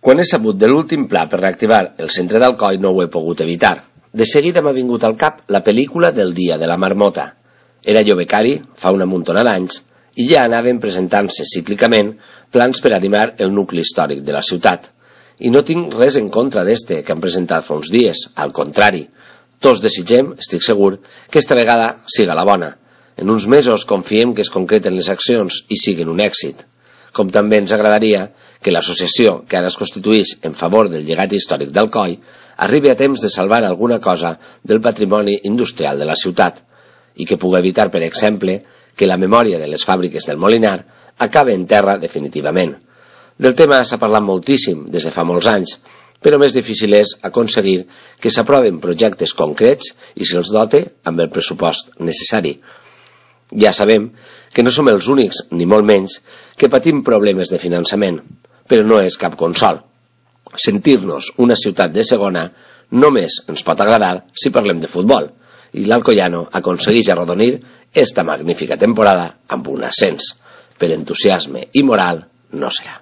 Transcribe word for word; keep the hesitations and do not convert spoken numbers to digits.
Quan he sabut de l'últim pla per reactivar el centre d'Alcoi no ho he pogut evitar. De seguida m'ha vingut al cap la pel·lícula del dia de la marmota. Era jo becari, fa una muntona d'anys, i ja anaven presentant-se cíclicament plans per animar el nucli històric de la ciutat. I no tinc res en contra d'este que han presentat fa uns dies, al contrari. Tots desitgem, estic segur, que esta vegada siga la bona. En uns mesos confiem que es concreten les accions i siguin un èxit. Com també ens agradaria que l'associació que ara es constituïx en favor del llegat històric d'Alcoi arribi a temps de salvar alguna cosa del patrimoni industrial de la ciutat i que pugui evitar, per exemple, que la memòria de les fàbriques del Molinar acabe en terra definitivament. Del tema s'ha parlat moltíssim des de fa molts anys, però més difícil és aconseguir que s'aproven projectes concrets i se'ls dote amb el pressupost necessari. Ja sabem que no som els únics, ni molt menys, que patim problemes de finançament, però no és cap consol. Sentir-nos una ciutat de segona només ens pot agradar si parlem de futbol, i l'Alcoiano aconsegueix arrodonir esta magnífica temporada amb un ascens. Per entusiasme i moral no serà.